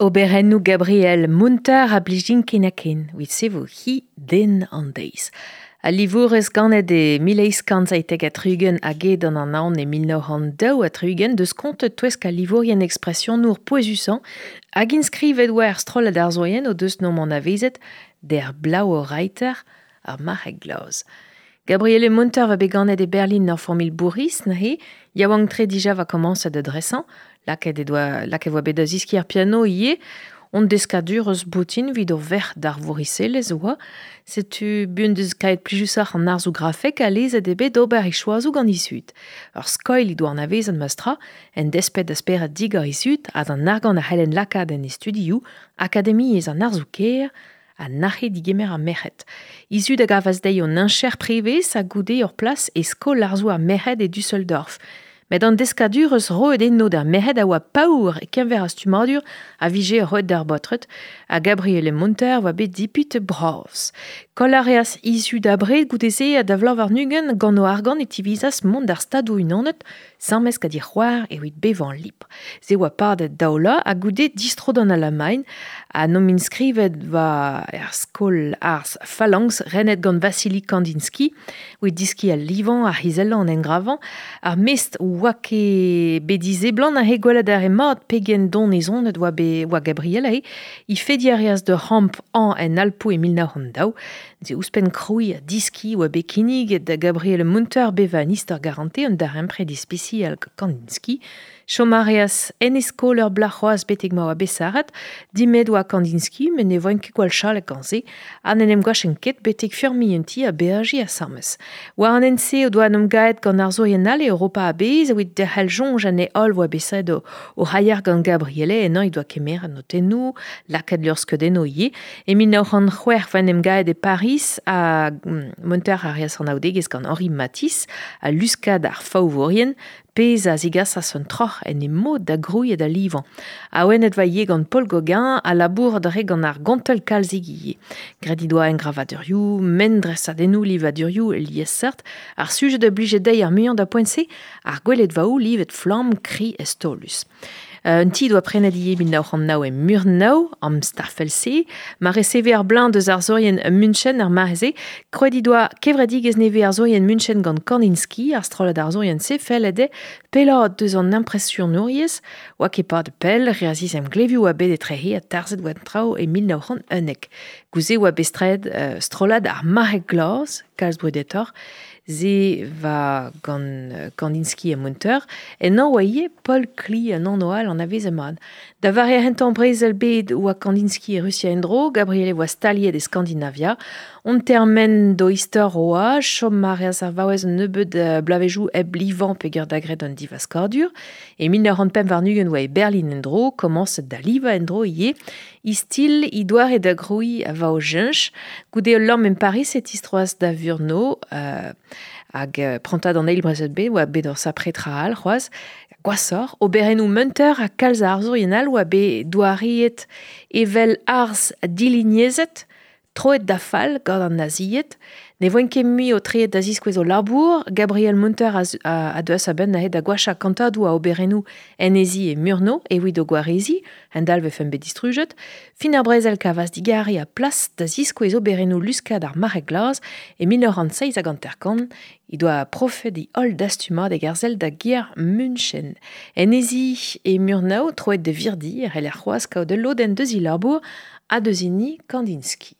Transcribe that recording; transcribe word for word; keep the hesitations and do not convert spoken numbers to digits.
Oberennoù Gabriel Munter a blijin ken ha ken, evit se vo hi den an deiz. Al livourez ganet e mil eizh kant seitek ha tri-ugent hag eo d'an anaon e mil nav c'hant daou ha tri-ugent deus kontet touesk al livourien ekspresionour pouezusañ hag inskrivet oa er strollad arzourien o deus nomp anavezet der Blauer Reiter ar marc'heg glas. Gabriele Munter va bet ganet e Berlin ur familh bourriz neuze, yaouank-tre dija va komañset da dresañ, lakaet e doa lakaet voa bet da ziskiñ ar piano ivez, on deskadur eus boutin evit o verc'h d'ar vouriselezh oa, setu buan deus kaet plijusoc'h an arzoù grafek ha lezet eo bet d'ober e choazoù gant he zud. Ur skoilh he doa anavezet meustra, en desped da spered digor he zud ha d'an argant a c'hellen lakaat en he studioù, akademiezh an arzoù-kaer, ha nac'he digemer ar merc'hed. He zud a gavas dezhi un heñcher prevez ha goude ur plas e skol arzoù ar merc'hed e Düsseldorf. Met an deskadur eus roet eno d'ar merc'hed a oa paour e keñver ar stummadur a vije roet d'ar baotred, ha Gabriele Munter oa bet dipit bras. Koll a reas he zud abred goude-se ha da vloaz warn-ugent gant o argant e tivizas mont d'ar Stadoù-Unanet sañmes gant he c'hoar evit bevañ lipr. Se oa padet daou vloaz ha goude distro d'an Alamagn ha n'omp inskrivet war er skol arz Phalanx renet gant Vassili Kandinsky evit diskiñ al livañ, ar c'hizellañ, an engravañ, ar mestr oa ket bet dizeblant he gwelet ar re mat pegen donezonet oa bet oa Gabriel he he fediñ a reas d'ur c'hamp an en Alpoù e mil nav c'hant daou. Ze ouzhpenn krouiñ ha diskiñ oa bet kinniget da Gabriele Munter bevañ an istor garante un darempred ispisial Kandinsky. Chom a reas en e skol ur bloaz c'hoazh betek ma oa bet sarret, dimet oa Kandinsky met ne voent ket gwall chalet gant se, ha n'en em gwachen ket betek feurmiñ un ti ha beajiñ asambles. War an hent-se o doa en em gaet gant arzourien all e Europa a-bezh evit derc'hel soñj anezhe holl oa bet saet o, o c'haier gant Gabriele ennañ he doa kemeret notennoù, lakaet luc'hskeudennoù ivez. E mil nav c'hant c'hwec'h oa en em gaet e Paris ha Munter a reas anaoudegezh gant Henri Matisse ha luskad ar faouvourien, pezh a zigasas un troc'h en e mod da grouiñ ha da livañ. Awenet va ivez gant Paul Gauguin ha labourat a rae gant ar gontell kalzik ivez. Graet he doa engravadurioù, mendresadennoù, livadurioù liesseurt, ar sujed a blije dezhi ar muiañ da poent-se, ar gweledvaoù livet flamm kri estolus. Un ti doa prenet ivez mil nav c'hant nav e Murnau, am Staffelsee, ma reseve ar bleuñv deus arzourien München ar mare-se, krouet he doa kevredigezh nevez arzourien München gant Kandinsky, ar strollad arzourien-se fellet eo pellaat deus an impresionouriezh, oa ket pad pell, reaziz emglevioù oa bet etrehe ha tarzhet oa an traoù e mil nav c'hant unnek. Gouze oa bet straet uh, strollad ar marc'heg glas, kalz brudetoc'h, se va gant Kandinsky ha Munter, ennañ oa ivez Paul Klee an anv all anavezet mat. Da vare ar c'hentañ brezel bed oa Kandinsky e Rusia en-dro, Gabriele oa staliet e Skandinavia. On termen d'o istor oa, chom a reas ar vaouez un nebeud bloavezhioù hep livañ peogwir da graet un divaskadur. E mil nav c'hant pemp warn-ugent oa e Berlin en-dro, komañset da livañ en-dro ivez. He stil he doare da grouiñ a va o cheñch. Goude ul lamm en Paris e tistroas da Vurno, euh, hag uh, prantad an eil brezel bed oa bet ur sapre tra all c'hoazh. Gwashoc'h, oberennoù Munter ha kalz a arzourien all oa bet douariet evel arz dilignezet, troet da fall gant an nazied. Ne voent ket mui o treet da ziskouez o labour, Gabriel Munter a, a, a deuas a-benn neuze da gwachañ kantadoù a oberennoù en he zi e Murnau evit o gwareziñ, hend-all vefen bet distrujet. Fin ar brezel kavas digare ha plas da ziskouez oberennoù luskad ar marc'heg glas e mil nav c'hant seizh hag hanter-kant, he doa profet he holl dastumad hag arzel da gêr München. En he zi e Murnau, troet da virdi, e c'heller c'hoazh kaout ul lodenn deus he labour ha deus hini Kandinsky.